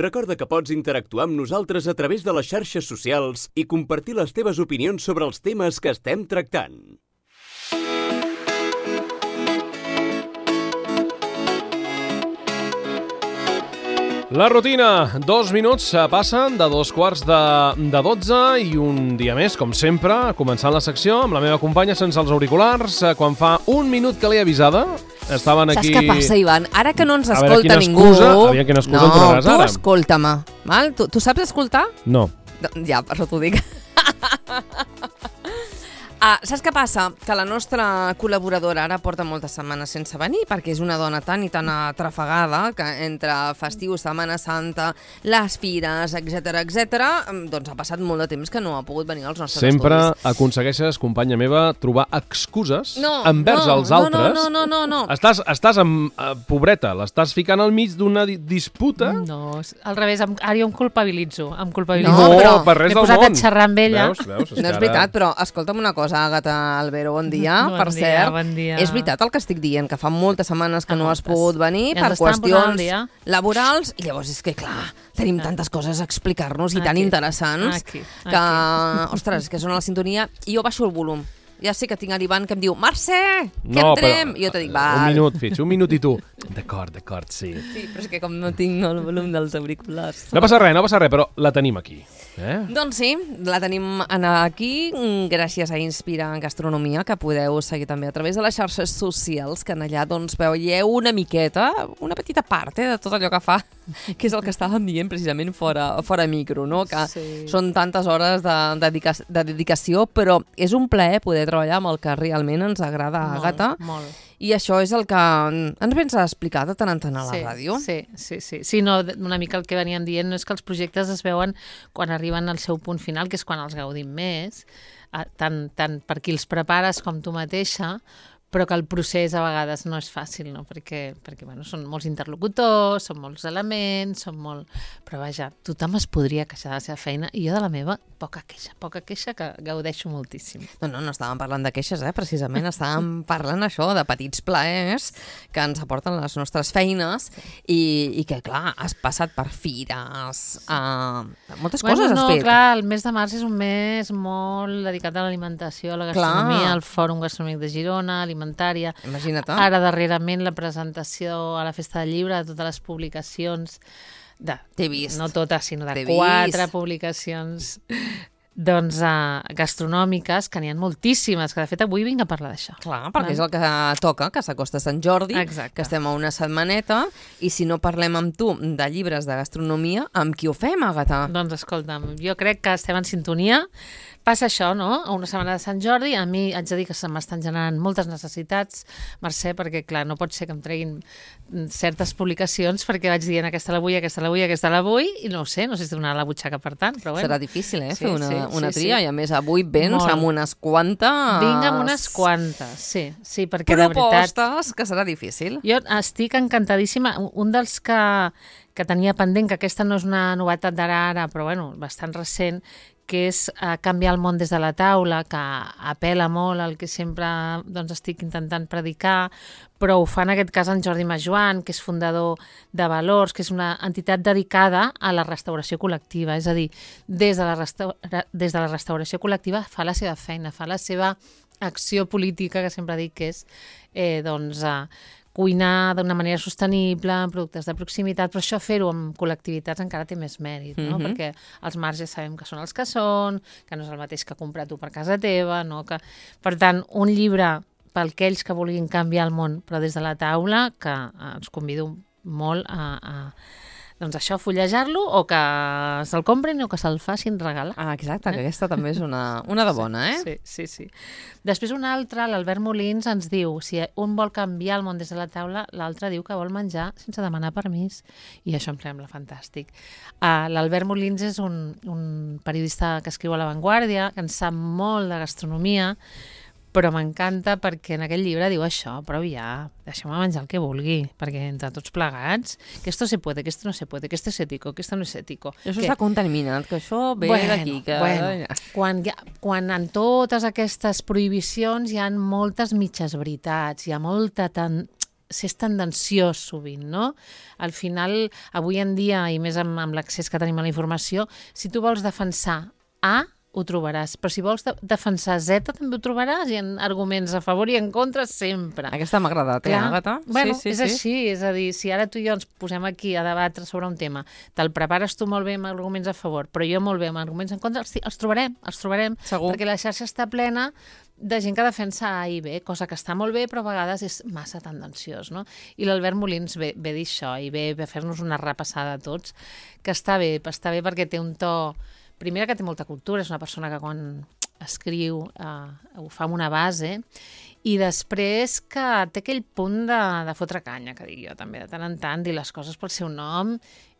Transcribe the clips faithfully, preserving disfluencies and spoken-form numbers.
Recorda que pots interactuar amb nosaltres a través de les xarxes socials i compartir les teves opinions sobre els temes que estem tractant. La rutina, dos minuts passen de dos quarts de, de dotze i un dia més, com sempre, començant la secció amb la meva companya sense els auriculars. Quan fa un minut que l'he avisada, estaven aquí... Saps què passa, Ivan? Ara que no ens escolta a veure, ningú... Excusa, aviam quina excusa no, em donaràs ara. No, tu escolta-me, val? Tu, tu saps escoltar? No. Ja, per això t'ho dic. Ah, saps què passa? Que la nostra col·laboradora ara porta moltes setmanes sense venir perquè és una dona tan i tan atrafegada que entre festiu, Setmana Santa, les fires, etcètera, etcètera, doncs ha passat molt de temps que no ha pogut venir als nostres Sempre estudis. Sempre aconsegueixes, companya meva, trobar excuses no, envers no, els no, altres. No, no, no, no, no. Estàs, estàs amb... Uh, pobreta, l'estàs ficant al mig d'una di disputa. No, al revés, em, ara jo em culpabilitzo. Em culpabilitzo. No, però per res del món. M'he posat a xerrar amb ella. Veus, veus, no és veritat, però escolta'm una cosa, Àgata Albero, bon dia, bon per dia, cert. Bon dia. És veritat el que estic dient, que fa moltes setmanes que Fa no moltes. has pogut venir Ja per ens estan posant al qüestions dia. laborals, i llavors és que, clar, tenim Clar. tantes coses a explicar-nos i tan Aquí. interessants Aquí. que, Aquí. ostres, que sona la sintonia, i jo baixo el volum. Ja sé que tinc l'Ivan que em diu Mercè, que No, entrem! però, I jo te dic, Un val. minut, Fitx, un minut i tu. D'acord, d'acord, sí. Sí, però és que com no tinc el volum dels auriculars... No passa res, no passa res, però la tenim aquí. Eh? Doncs sí, la tenim aquí gràcies a Inspira en Gastronomia, que podeu seguir també a través de les xarxes socials, que en allà doncs veieu una miqueta, una petita part eh, de tot allò que fa, que és el que estàvem dient precisament fora, fora micro, no? Que Sí. són tantes hores de, de, dedica de dedicació, però és un plaer poder treballar amb el que realment ens agrada, Molt, Àgata. molt. I això és el que ens vens a explicar de tant en tant a la sí, ràdio. Sí, sí, sí. Sí, no, una mica el que venien dient no és que els projectes es veuen quan arriben al seu punt final, que és quan els gaudim més, tant, tant per qui els prepares com tu mateixa, però que el procés a vegades no és fàcil, no? Perquè, perquè bueno, són molts interlocutors, són molts elements, són molt... Però vaja, tothom es podria queixar de la seva feina i jo de la meva, poca queixa, poca queixa que gaudeixo moltíssim. No, no, no estàvem parlant de queixes, eh? Precisament estàvem parlant això de petits plaers que ens aporten les nostres feines i, i que, clar, has passat per fires, uh, moltes Bueno, coses no, has fet. clar, el mes de març és un mes molt dedicat a l'alimentació, a la gastronomia, Clar. al Fòrum Gastronòmic de Girona, alimentària. Imagina't. Ara, darrerament, la presentació a la Festa del Llibre de totes les publicacions, de, T'he vist. no totes, sinó de T'he quatre vist. publicacions doncs, uh, gastronòmiques, que n'hi ha moltíssimes, que de fet avui vinc a parlar d'això. Clar, perquè és el que toca, que s'acosta Sant Jordi, Exacte. que estem a una setmaneta, i si no parlem amb tu de llibres de gastronomia, amb qui ho fem, Àgata? Doncs escolta'm, jo crec que estem en sintonia. Passa això, no? A una setmana de Sant Jordi, a mi haig de dir que se m'estan generant moltes necessitats, Mercè, perquè, clar, no pot ser que em treguin certes publicacions perquè vaig dient aquesta la vull, aquesta la vull, aquesta la vull, i no ho sé, no sé si donar la butxaca per tant, però bueno. Serà difícil, eh, Sí, fer una, sí, una sí, tria, sí. i a més avui vens Molt. amb unes quantes... Vinc amb unes quantes, sí, sí, perquè de veritat... propostes, que serà difícil. Jo estic encantadíssima. Un dels que, que tenia pendent, que aquesta no és una novetat d'ara ara, però bueno, bastant recent, que és uh, canviar el món des de la taula, que apela molt al que sempre doncs, estic intentant predicar, però ho fa en aquest cas en Jordi Majoan, que és fundador de Valors, que és una entitat dedicada a la restauració col·lectiva. És a dir, des de la, restaura des de la restauració col·lectiva fa la seva feina, fa la seva acció política, que sempre dic que és eh, doncs, uh, cuinar d'una manera sostenible, amb productes de proximitat, però això fer-ho amb col·lectivitats encara té més mèrit, no? Mhm. Perquè els marges sabem que són els que són, que no és el mateix que comprar tu per casa teva, no? Que... Per tant, un llibre per aquells que vulguin canviar el món, però des de la taula, que eh, ens convido molt a, a doncs això, fullejar-lo, o que se'l comprin o que se'l facin regalar. Ah, exacte, que aquesta també és una, una de bona, eh? Sí, sí, sí. Després un altre, l'Albert Molins, ens diu si un vol canviar el món des de la taula, l'altre diu que vol menjar sense demanar permís. I això em sembla fantàstic. Uh, L'Albert Molins és un, un periodista que escriu a La Vanguardia, que en sap molt de gastronomia, però m'encanta perquè en aquell llibre diu això, però ja, deixeu-me menjar el que vulgui, perquè entre tots plegats, que esto se puede, que esto no se puede, que esto es ético, que esto no es ético. Això que... està contaminat, que això ve bueno, d'aquí. Que... Bueno, quan, ha, quan en totes aquestes prohibicions hi ha moltes mitges veritats, hi ha molta tan... s'és tendenciós sovint, no? Al final, avui en dia, i més amb, amb l'accés que tenim a la informació, si tu vols defensar A, ho trobaràs. Però si vols de defensar Z, també ho trobaràs. Hi ha arguments a favor i en contra sempre. Aquesta m'ha agradat, eh, Àgata? Bueno, sí, sí, és sí. així. És a dir, si ara tu i jo ens posem aquí a debatre sobre un tema, te'l prepares tu molt bé amb arguments a favor, però jo molt bé amb arguments en contra, els, els trobarem, els trobarem. Segur. Perquè la xarxa està plena de gent que defensa A i B, cosa que està molt bé, però a vegades és massa tendenciós, no? I l'Albert Molins ve, ve dir això i ve a fer-nos una repassada a tots, que està bé, està bé perquè té un to... Primera, que té molta cultura, és una persona que quan escriu eh, ho fa amb una base, i després que té aquell punt de, de fotre canya, que dic jo també, de tant en tant, dir les coses pel seu nom,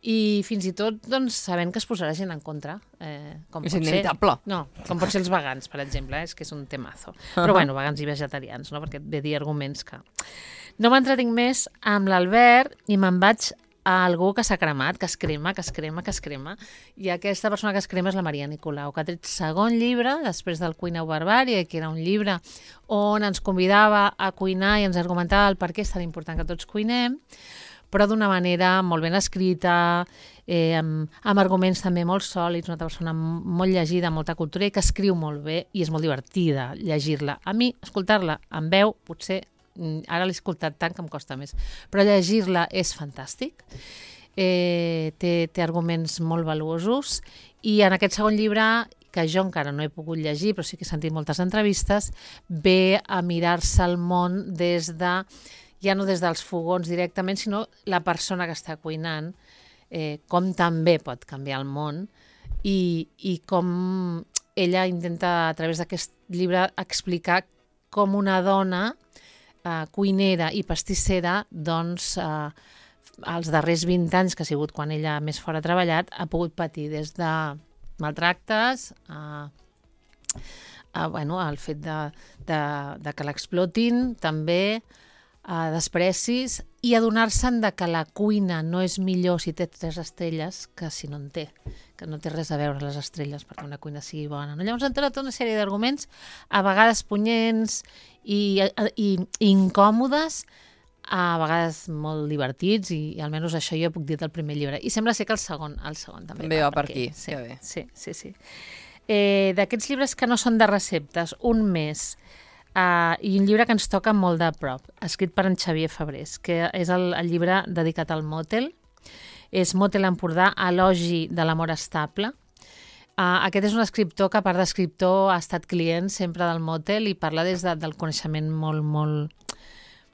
i fins i tot doncs, sabent que es posarà gent en contra. Eh, com És pot inevitable. ser, no, com pot ser els vegans, per exemple, eh, és que és un temazo. Però uh-huh. bueno, vegans i vegetarians, no? Perquè et ve dir arguments que... No m'entretinc més amb l'Albert i me'n vaig a algú que s'ha cremat, que es crema, que es crema, que es crema. I aquesta persona que es crema és la Maria Nicolau, que ha tret segon llibre, després del Cuina o Barbària, que era un llibre on ens convidava a cuinar i ens argumentava el per què és tan important que tots cuinem, però d'una manera molt ben escrita, eh, amb, amb arguments també molt sòlids, una persona molt llegida, molta cultura, i que escriu molt bé i és molt divertida llegir-la. A mi, escoltar-la en veu, potser ara l'he escoltat tant que em costa més, però llegir-la és fantàstic, eh, té, té arguments molt valuosos, i en aquest segon llibre, que jo encara no he pogut llegir, però sí que he sentit moltes entrevistes, ve a mirar-se el món des de, ja no des dels fogons directament, sinó la persona que està cuinant, eh, com també pot canviar el món, i, i com ella intenta, a través d'aquest llibre, explicar com una dona Uh, cuinera i pastissera, doncs, uh, els darrers vint anys, que ha sigut quan ella més fora ha treballat, ha pogut patir des de maltractes a, a bueno, el fet de, de, de que l'explotin, també a desprecis, i adonar-se'n de que la cuina no és millor si té tres estrelles que si no en té, que no té res a veure les estrelles perquè una cuina sigui bona. No? Llavors han tret una sèrie d'arguments, a vegades punyents i, i, i incòmodes, a vegades molt divertits, i, i almenys això jo puc dir del primer llibre. I sembla ser que el segon, el segon també, també va per aquí. aquí. Sí, que bé. sí, sí. sí. Eh, d'aquests llibres que no són de receptes, un més, Uh, i un llibre que ens toca molt de prop, escrit per en Xavier Fabrés, que és el, el llibre dedicat al mòtel. És Mòtel Empordà, elogi de l'amor estable. Uh, aquest és un escriptor que, a part d'escriptor, ha estat client sempre del mòtel i parla des de, del coneixement molt, molt,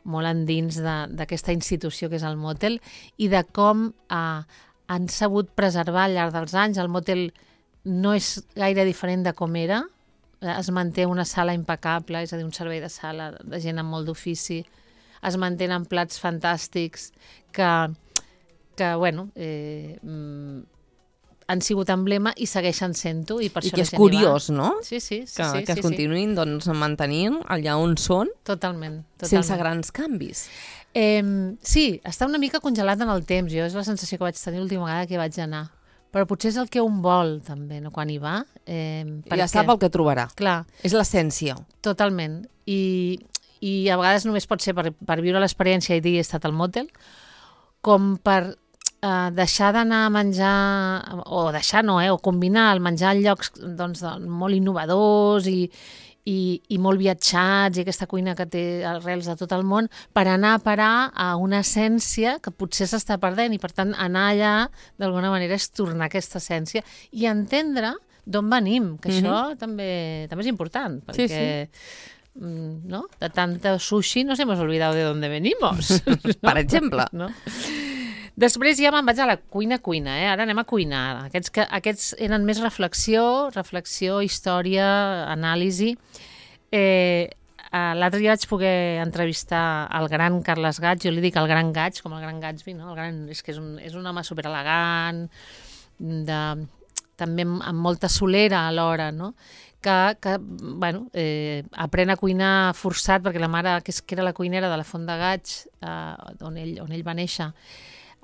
molt endins d'aquesta institució que és el mòtel, i de com uh, han sabut preservar al llarg dels anys. El mòtel no és gaire diferent de com era, es manté una sala impecable, és a dir, un servei de sala de gent amb molt d'ofici, es mantenen plats fantàstics que, que bueno, eh, han sigut emblema i segueixen sent-ho. I, per I això que és curiós, no? Sí, sí, sí. Que, sí, que sí, es continuïn sí. doncs, mantenint allà on són, totalment, totalment. sense grans canvis. Eh, sí, està una mica congelat en el temps. Jo és la sensació que vaig tenir l'última vegada que vaig anar. Però potser és el que un vol, també, no? Quan hi va. Eh, ja sap el que trobarà. Clar. És l'essència. Totalment. I, i a vegades només pot ser per, per viure l'experiència i dir he estat al mòtel, com per eh, deixar d'anar a menjar, o deixar no, eh, o combinar el menjar en llocs doncs, molt innovadors i, i, i molt viatjats, i aquesta cuina que té arrels de tot el món, per anar a parar a una essència que potser s'està perdent, i per tant anar allà d'alguna manera és tornar a aquesta essència i entendre d'on venim, que mm-hmm. això també, també és important, perquè sí, sí. ¿no? De tanta sushi nos hemos olvidado de dónde venimos. ¿no? Per exemple. No? Després ja me'n vaig a la cuina-cuina, eh? Ara anem a cuinar. Aquests, que, aquests eren més reflexió, reflexió, història, anàlisi. Eh, L'altre dia vaig poder entrevistar el gran Carles Gaig, jo li dic el gran Gaig, com el gran Gatsby, no? El gran, és que és un, és un home superelegant, de, també amb, amb molta solera alhora, no? que, que bueno, eh, aprèn a cuinar forçat, perquè la mare, que, és, que era la cuinera de la Font de Gaig, eh, on, ell, on ell va néixer,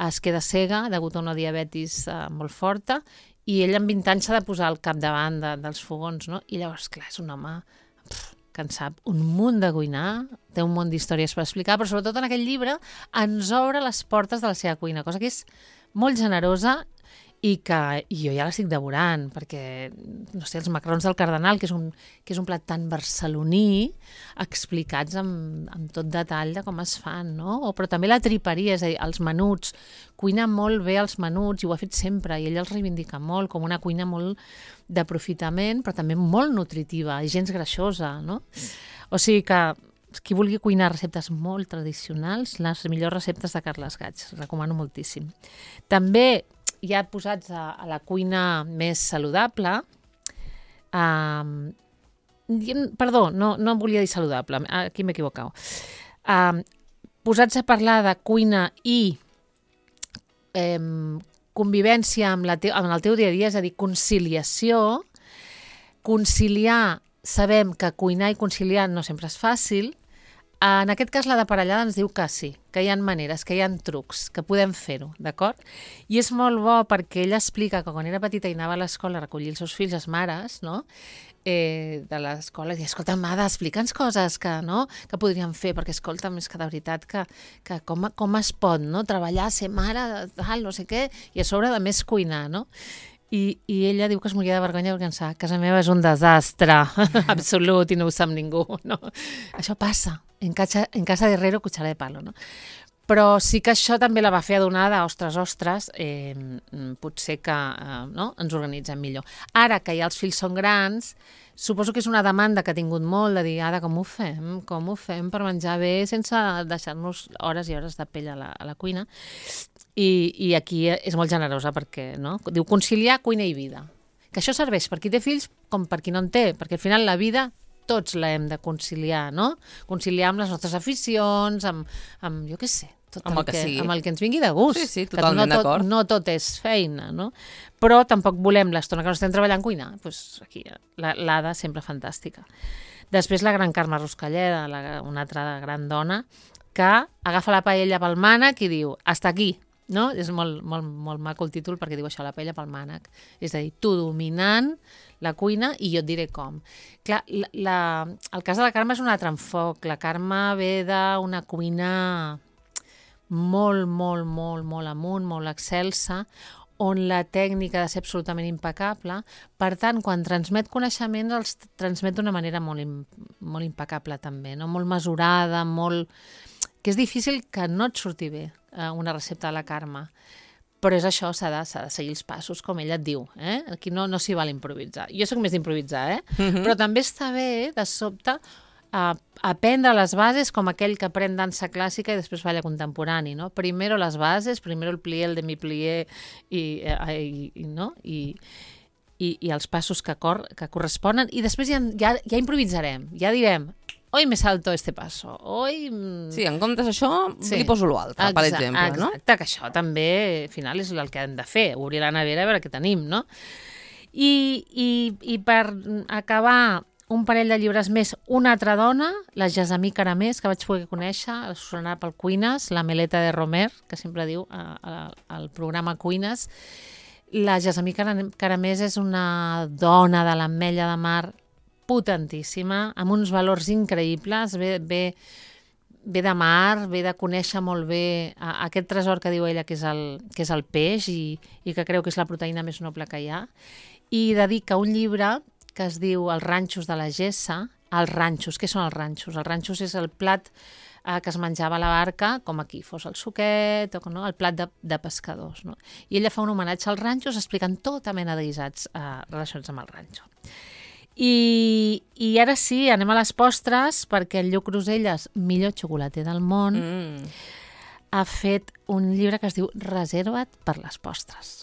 es queda cega degut a una diabetis eh, molt forta, i ell amb vint anys s'ha de posar al capdavant de, dels fogons, no? I llavors, clar, és un home pff, que en sap un munt de cuinar, té un munt d'històries per explicar, però sobretot en aquell llibre ens obre les portes de la seva cuina, cosa que és molt generosa i que i jo ja l'estic devorant, perquè, no sé, els macarrons del Cardenal, que és un, que és un plat tan barceloní, explicats amb, amb tot detall de com es fan, no? O, però també la triperia, és a dir, els menuts, cuina molt bé els menuts, i ho ha fet sempre, i ell els reivindica molt, com una cuina molt d'aprofitament, però també molt nutritiva, i gens greixosa, no? O sigui que qui vulgui cuinar receptes molt tradicionals, les millors receptes de Carles Gaig, recomano moltíssim. També ja posats a, a la cuina més saludable, um, perdó, no, no volia dir saludable, aquí m'he equivocat. Um, posats a parlar de cuina i um, convivència amb, la te amb el teu dia a dia, és a dir, conciliació, conciliar, sabem que cuinar i conciliar no sempre és fàcil. En aquest cas, la de parellada ens diu que sí, que hi ha maneres, que hi ha trucs, que podem fer-ho, d'acord? I és molt bo perquè ella explica que quan era petita i anava a l'escola a recollir els seus fills, les mares, no? eh, de l'escola, i escolta, Mada, explica'ns coses que, no? que podríem fer, perquè escolta, més que de veritat, que, que com, com es pot, no? treballar, ser mare, tal, no sé què, i a sobre de més cuinar, no? I, i ella diu que es moria de vergonya perquè pensava que casa meva és un desastre absolut i no ho sap ningú, no? Això passa, en casa, en casa de herrero cuchara de palo, no? Però sí que això també la va fer adonada, ostres, ostres, eh, potser que eh, no? ens organitzem millor. Ara que ja els fills són grans, suposo que és una demanda que ha tingut molt de dir, Ada, com ho fem? Com ho fem per menjar bé sense deixar-nos hores i hores de pell a la, a la cuina? I, i aquí és molt generosa perquè, no? Diu conciliar cuina i vida. Que això serveix per qui té fills com per qui no en té, perquè al final la vida tots la hem de conciliar, no? Conciliar amb les nostres aficions, amb, amb jo què sé, tot amb el, el que, que amb el que ens vingui de gust. Sí, sí, totalment no d'acord. No tot és feina, no? Però tampoc volem l'estona que no estem treballant cuinar. Doncs aquí, l'Ada sempre fantàstica. Després la gran Carme Ruscalleda, la, una altra gran dona, que agafa la paella pel mànec i diu, hasta aquí. No? És molt, molt, molt maco el títol perquè diu això, la paella pel mànec. És a dir, tu dominant la cuina i jo et diré com. Clar, la, la, el cas de la Carme és un altre enfoc. La Carme ve d'una cuina molt, molt, molt, molt amunt, molt excelsa, on la tècnica ha de ser absolutament impecable. Per tant, quan transmet coneixements, els transmet d'una manera molt, molt impecable també, no? Molt mesurada, molt... que és difícil que no et surti bé eh, una recepta de la Carme. Però és això, s'ha de, s'ha de seguir els passos, com ella et diu. Eh? Aquí no, no s'hi val improvisar. Jo soc més d'improvisar, eh? Uh-huh. Però també està bé, de sobte, eh, aprendre les bases com aquell que aprèn dansa clàssica i després balla contemporani, no? Primero les bases, primero el plié, el demi-plié i, eh, i, i, no? I, i, i els passos que, cor, que corresponen. I després ja, ja, ja improvisarem, ja direm... Hoy me salto este paso, hoy... Sí, en comptes d'això, sí. li poso l'altre, per exemple, exacte, no? Exacte, que això també, al final, és el que hem de fer, obrir la nevera a veure què tenim, no? I, i, i per acabar, un parell de llibres més, una altra dona, la Gessamí Caramés, que vaig poder conèixer, la Susana pel Cuines, la Meleta de Romer, que sempre diu a, a, al programa Cuines. La Gessamí Caramés és una dona de l'Ametlla de Mar potentíssima, amb uns valors increïbles, ve, ve, ve de mar, ve de conèixer molt bé aquest tresor que diu ella que és el, que és el peix i, i que creu que és la proteïna més noble que hi ha, i dedica un llibre que es diu Els ranxos de la Gessa. Els ranxos, què són els ranxos? Els ranxos és el plat eh, que es menjava a la barca, com aquí fos el suquet, o no? El plat de, de pescadors. No? I ella fa un homenatge als ranxos explicant tota mena de guisats eh, relacionats amb el ranxo. I, I ara sí, anem a les postres, perquè el Lluc Roselles, millor xocolater del món, mm. ha fet un llibre que es diu Reserva't per les postres.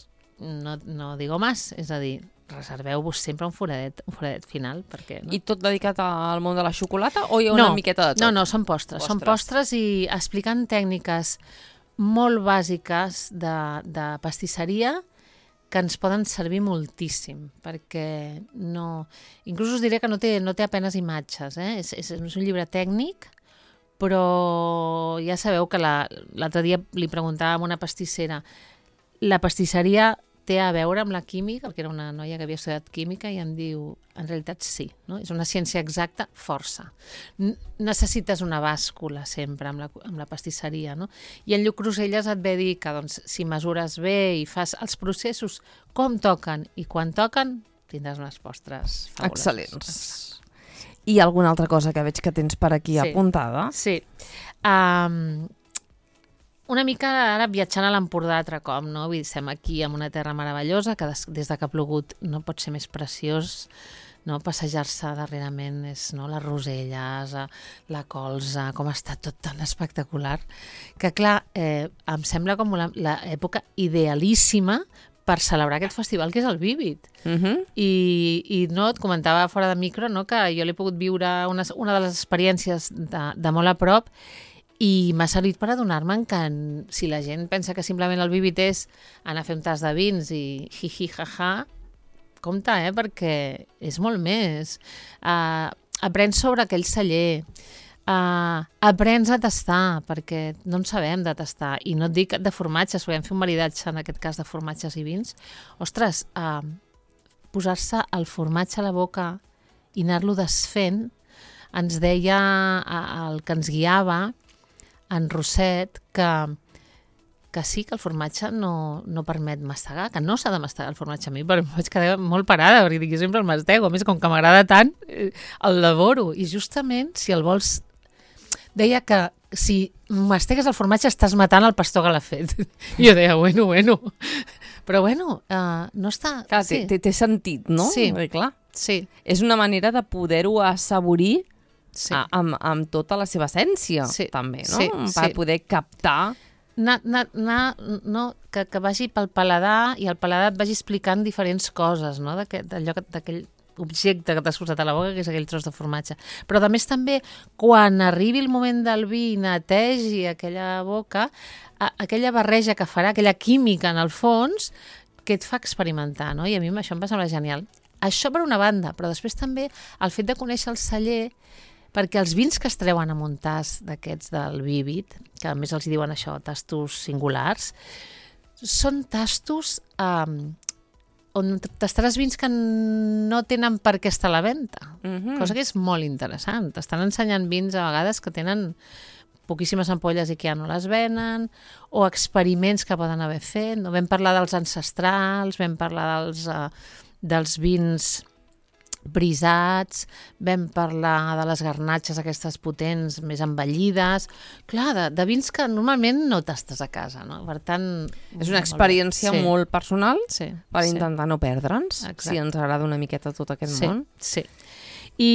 No, no digo más, és a dir, reserveu-vos sempre un foradet, un foradet final. Perquè, no? I tot dedicat al món de la xocolata o hi ha no, una miqueta de tot? No, no, són postres. postres. Són postres i explicant tècniques molt bàsiques de, de pastisseria que ens poden servir moltíssim, perquè no... Inclús us diré que no té, no té apenes imatges, eh? És, és, és un llibre tècnic, però ja sabeu que l'altre la, dia li preguntàvem a una pastissera la pastisseria té a veure amb la química, perquè era una noia que havia estudiat química i em diu, en realitat sí, no? És una ciència exacta força. N necessites una bàscula sempre amb la, amb la pastisseria, no? I en Lluc Cruselles et ve a dir que doncs, si mesures bé i fas els processos com toquen i quan toquen, tindràs unes postres fabuloses. Excel·lents. I alguna altra cosa que veig que tens per aquí sí. apuntada? Sí. Um, una mica ara viatjant a l'Empordà altre cop, no? Vull dir, estem aquí en una terra meravellosa que des, des de que ha plogut no pot ser més preciós, no? Passejar-se darrerament és no? Les roselles, la colza, com està tot tan espectacular, que clar, eh, em sembla com l'època idealíssima per celebrar aquest festival que és el Vívid. Uh -huh. I, i no, et comentava fora de micro no, que jo l'he pogut viure una, una de les experiències de, de molt a prop i m'ha servit per adonar-me que si la gent pensa que simplement el Vívid és anar a fer un tas de vins i hi-hi, ha-ha, compte, eh, perquè és molt més. Uh, aprens sobre aquell celler, Uh, aprens a tastar, perquè no en sabem de tastar, i no et dic de formatges, podem fer un maridatge en aquest cas de formatges i vins. Ostres, uh, posar-se el formatge a la boca i anar-lo desfent, ens deia uh, el que ens guiava, en Roset, que, que sí, que el formatge no, no permet mastegar, que no s'ha de mastegar el formatge. A mi però em vaig quedar molt parada, perquè jo sempre el mastego, a més com que m'agrada tant, el devoro, i justament si el vols deia que si mastegues el formatge estàs matant el pastor que l'ha fet. I jo deia, bueno, bueno. Però bueno, uh, no està... Clar, sí. té, té sentit, no? Sí. Perquè, clar, sí. És una manera de poder-ho assaborir sí. a, amb, amb tota la seva essència, sí. també, no? Sí, per sí. poder captar... Na, na, na, no, que, que vagi pel paladar i el paladar et vagi explicant diferents coses, no? D'aquell objecte que t'has posat a la boca, que és aquell tros de formatge. Però a més també, quan arribi el moment del vi i netegi aquella boca, a, aquella barreja que farà, aquella química en el fons, que et fa experimentar, no? I a mi això em va semblar genial. Això per una banda, però després també el fet de conèixer el celler, perquè els vins que es treuen amb un tas d'aquests del Vívid, que a més els diuen això, tastos singulars, són tastos um, on tastaràs vins que no tenen per què estar a la venda, Uh-huh. cosa que és molt interessant. T'estan ensenyant vins a vegades que tenen poquíssimes ampolles i que ja no les venen, o experiments que poden haver fet. No? Vam parlar dels ancestrals, vam parlar dels, uh, dels vins brisats, vam parlar de les garnatxes aquestes potents, més envellides, clar, de, de vins que normalment no tastes a casa, no? Per tant... És una experiència sí. molt personal sí. per sí. intentar no perdre'ns, Exacte. si ens agrada una miqueta tot aquest sí. món. Sí, I,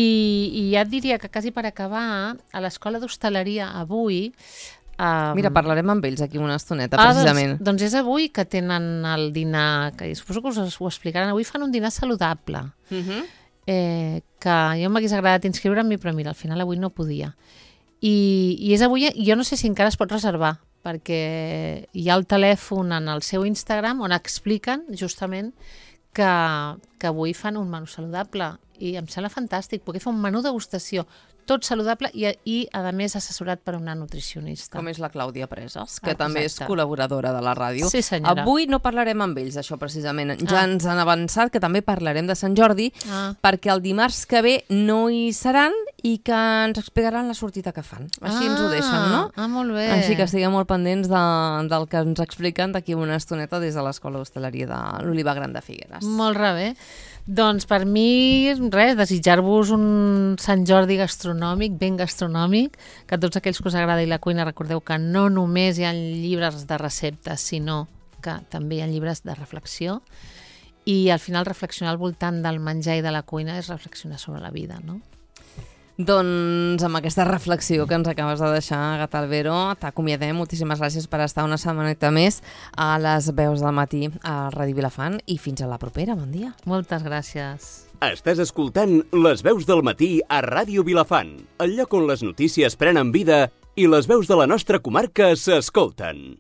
i ja et diria que quasi per acabar, a l'escola d'hostaleria avui... Um... Mira, parlarem amb ells aquí una estoneta, precisament. Ah, doncs, doncs és avui que tenen el dinar, que suposo que us ho explicaran, avui fan un dinar saludable. Uh-huh. Eh, que jo m'hagués agradat inscriure'm, però mira, al final avui no podia. I, i és avui, jo no sé si encara es pot reservar, perquè hi ha el telèfon en el seu Instagram on expliquen justament que, que avui fan un menú saludable i em sembla fantàstic, perquè fa un menú degustació tot saludable i, i a més, assessorat per una nutricionista. Com és la Clàudia Preses, que Ah, també és exacte. col·laboradora de la ràdio. Sí, senyora. Avui no parlarem amb ells, això precisament. Ja Ah. ens han avançat que també parlarem de Sant Jordi, Ah. perquè el dimarts que ve no hi seran i que ens explicaran la sortida que fan. Així ens ho deixen, no? Ah, molt bé. Així que estiguem molt pendents de, del que ens expliquen d'aquí una estoneta des de l'Escola d'Hostaleria de l'Oliva Gran de Figueres. Molt bé. Doncs per mi, res, desitjar-vos un Sant Jordi gastronòmic, ben gastronòmic, que a tots aquells que us agrada i la cuina recordeu que no només hi ha llibres de receptes, sinó que també hi ha llibres de reflexió, i al final reflexionar al voltant del menjar i de la cuina és reflexionar sobre la vida, no? Doncs amb aquesta reflexió que ens acabes de deixar, Gata Albero, t'acomiadem. Moltíssimes gràcies per estar una setmaneta més a les veus del matí a Ràdio Vilafant i fins a la propera. Bon dia. Moltes gràcies. Estàs escoltant Les veus del matí a Ràdio Vilafant, el lloc on les notícies prenen vida i les veus de la nostra comarca s'escolten.